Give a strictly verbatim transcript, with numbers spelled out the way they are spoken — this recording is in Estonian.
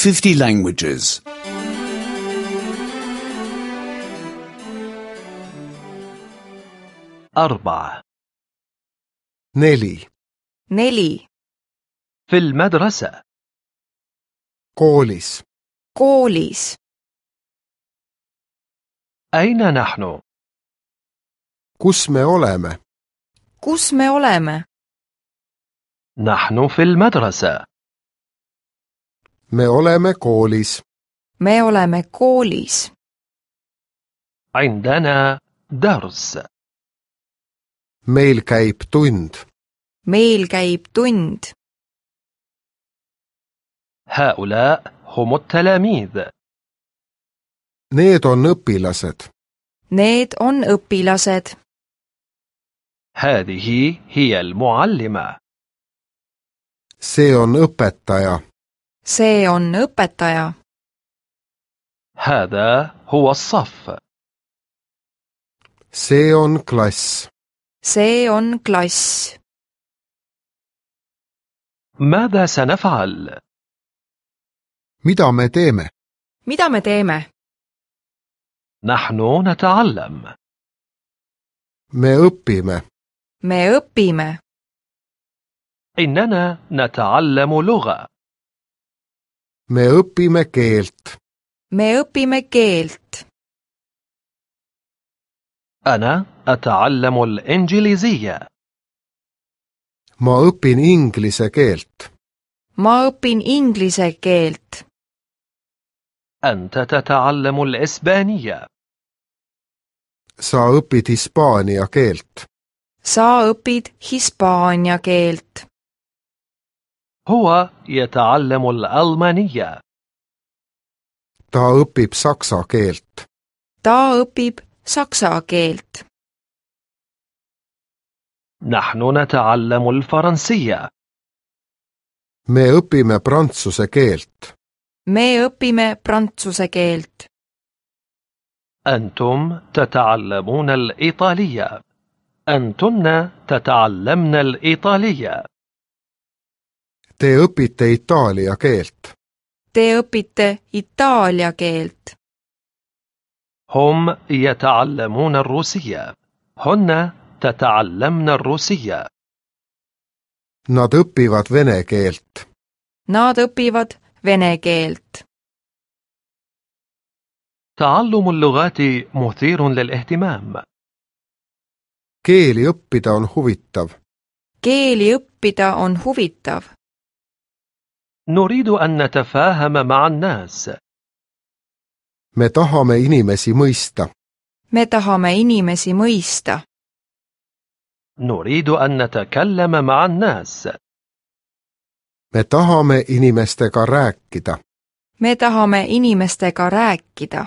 fifty languages. أربعة. neli, neli, في المدرسة. koolis, koolis, أين نحن؟ kus me oleme? kus me oleme? نحن في المدرسة. me oleme koolis. me oleme koolis. عندنا درس. meil käib tund. meil käib tund. هؤلاء هم التلاميذ. Need on õpilased. Need on õpilased. هذه هي المعلمة. see on õpetaja. see on õpetaja. هذا هو الصف. see on klass. see on klass. ماذا سنفعل؟ mida me teeme? mida me teeme? نحن نتعلم. me õpime. me õpime. إننا نتعلم لغة. me õpime keelt. me õpime keelt. أنا أتعلم الإنجليزية. ma õpin inglise keelt. ma õpin inglise keelt. أنت تتعلم الإسبانية. sa õpid hispaania keelt. sa õpid hispaania keelt. هو يتعلم الألمانية. ta õpib saksa keelt. ta õpib saksa keelt. نحن نتعلم الفرنسية. me õpime prantsuse keelt. me õpime prantsuse keelt. أنتم تتعلمون الإيطالية. أنتن تتعلمن الإيطالية. te õpite itaalia keelt. te õpite itaalia keelt. هم يتعلمون الروسية. هن تتعلمن الروسية. nad õpivad vene keelt. Nad õpivad vene keelt. تعلم اللغات مثير للاهتمام. keeli õppida on huvitav. keeli õppida on huvitav. نريد أن نتفاهم مع الناس. me tahame inimesi mõista. me tahame inimesi mõista. نريد أن نتكلم مع الناس. me tahame inimestega rääkida. me tahame inimestega rääkida.